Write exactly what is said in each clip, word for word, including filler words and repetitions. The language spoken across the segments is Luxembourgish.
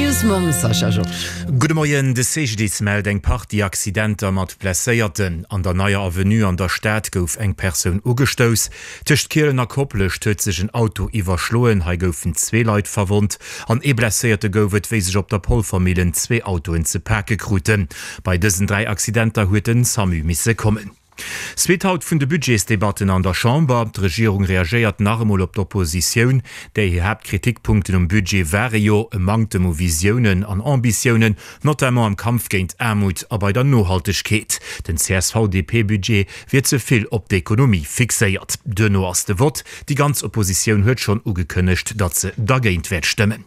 News mam Sascha Georges. Gudde Moien, De C G D I S mellt eng Partie Accidenter mat Blesséierten. An der Neier Avenue an der Stad gouf eng Persoun ugestouss. Tëscht Kielen a Koplescht huet sech en Auto iwwerschloen, hei goufen zwee Leit verwonnt an ee Blesséierte gouf et, wéi sech op der Polvermillen zwee Autoen ze pake kruten. Bei dësen dräi Accidenter huet den SAMU misse kommen. Suite haut vun de Budgetsdebatten an der Chamber. D'Regierung reagéiert nach emol op d'Oppositioun. Déi hir Haaptkritikpunkten um Budget ware jo e Manktem u Visiounen an Ambitiounen, notamment am Kampf géint Aarmut a bei der Nohaltegkeet. Den C S V-D P-Budget wier ze vill op d'Ekonomie fixéiert. Duerno ass de Vott. Déi ganz Oppositioun huet schonn ugekënnegt, datt se dergéint wäert stëmmen.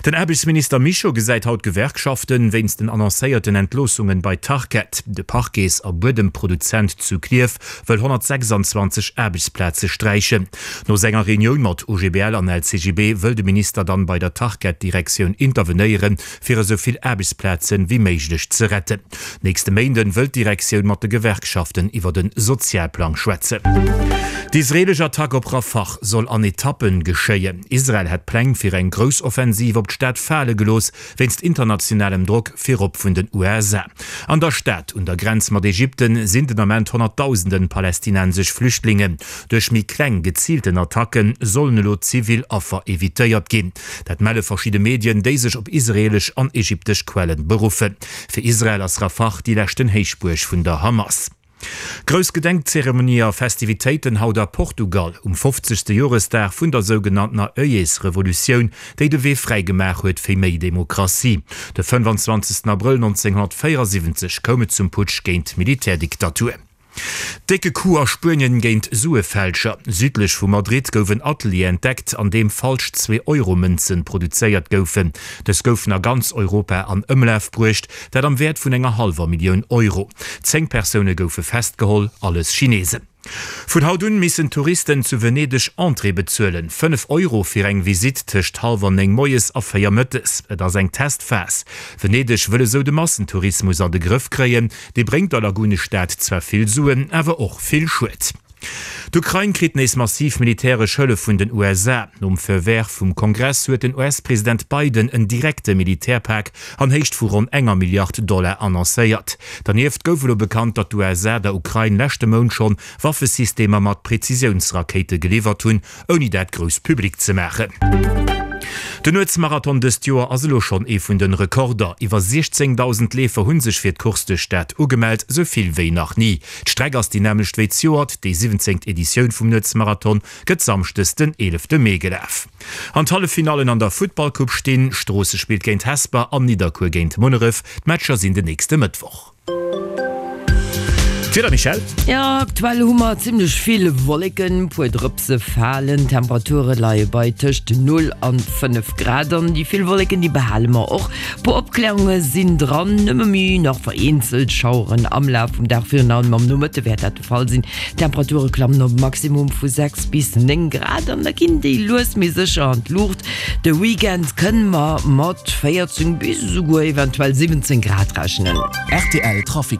Den Aarbechtsminister Mischo gesäit haut d'Gewerkschaften wéinst den annoncéierten Entloossungen bei Tarkett. De Parquets a Buedemproduzent zu Klierf wëll honnertsechsanzwanzeg Aarbechtsplaze sträichen. No senger Reunioun mat O G B L an L C G B wëll de Minister dann bei der Tarkett-Direktioun intervenéieren, fir esou vill Aarbechtsplazen wéi méiglech ze retten. Nächste Méinden wëll d'Direktioun mat de Gewerkschaften iwwer de Sozialplang schwätzen. D'israeelesch Attack op Rafah soll an Etappen geschéien. Israel hätt Pläng fir eng grouss Offensiv op d'Stad fale gelooss, wéinst internationalem Drock, virop vun den U S A. An der Stad un der Grenz mat Ägypten sinn den Ament honnertdausenden palästinensesch Flüchtlingen. Duerch méi kleng, geziilten Attacke sollen elo zivil Affer evitéiert ginn. Dat melle verschidde Medien, déi sech op israeelesch an ägyptesch Quellen beruffen. Fir Israel ass Rafah déi leschten Héichbuerg vun der Hamas. Grouss Gedenkzeremonie a Festivitéiten haut a Portugal um fofzegste Joresdag vun der sougenanntener Œillets-Revolutioun, déi de Wee fräi gemaach huet fir méi Demokratie. De fënnefanzwanzegsten Abrëll nonzénghonnertvéierasiwwenzeg koum et zum Putsch géint d'Militärdiktatur. Décke Coup a Spuenien géint Suefälscher. Südlech vu Madrid gouf en Atelier entdeckt, an deem falsch Zwee-Euro-Mënzen produzéiert goufen. Dës goufen a ganz Europa an Ëmlaf bruecht, dat am Wäert vun enger hallwer Millioun Euro. Zéng Persoune goufe festgeholl, alles Chinesen. Vun haut un missen Touristen zu Venedeg Entrée bezuelen, fënnef Euro fir eng Visitt tëscht hallwer néng moies a véier mëttes. Et ass eng Testphas. Venedeg wëll esou de Massentourismus an de Grëff kréien. Dee bréngt der Lagunestad zwar vill Suen, awer och vill Schued. D'Ukrain kritt nees massiv militäresch Hëllef vun den U S A. Nom Feu vert vum Kongress huet den U S-President Biden en direkte Militärpak an Héicht vu ronn enger Milliard Dollar annoncéiert. Dernieft gouf elo bekannt, datt d'U S A der Ukrain leschte Mount schonn Waffesystemer mat Prezisiounsrakéite geliwwert hunn, ouni dat grouss public ze maachen. Den Nuetsmarathon dëst Joer ass elo schonn ee vun de Rekorder. Iwwer siechzéngdausend Leefer hu sech fir d'Course duerch d'Stad ugemellt, sou vill wéi nach ni. D'Streck ass déi nämmlecht wéi zejoert. Déi siwwenzéngt Editioun vum Nuetsmarathon gëtt samschdes den eelefte Mee gelaf. An d'Halleffinallen an der Futtballcoupe stinn, Stroossen spillt géint Hesper an Nidderkuer géint Munneref. D'Matcher sinn den nächste Mëttwoch. D'Wieder, Michèle? Jo, aktuell hu mer zimmlech vill Wolleken, puer Drëpse falen, Temperature leie bei tëscht null an fënnef Grad an déi vill Wolleken déi behale mer och. Puer Opklärunge sinn dran, nëmme méi nach vereenzelt Schaueren am Laf vum Dag, virun allem am Nomëtte wäert dat de Fall sinn. D'Temperature klammen op e Maximum vu sechs bis néng Grad an da ginn déi lues mee sécher an d'Luucht. De Weekend kënne mer mat véierzéng bis esouguer eventuell siwwenzéng Grad rechnen. R T L Trafic.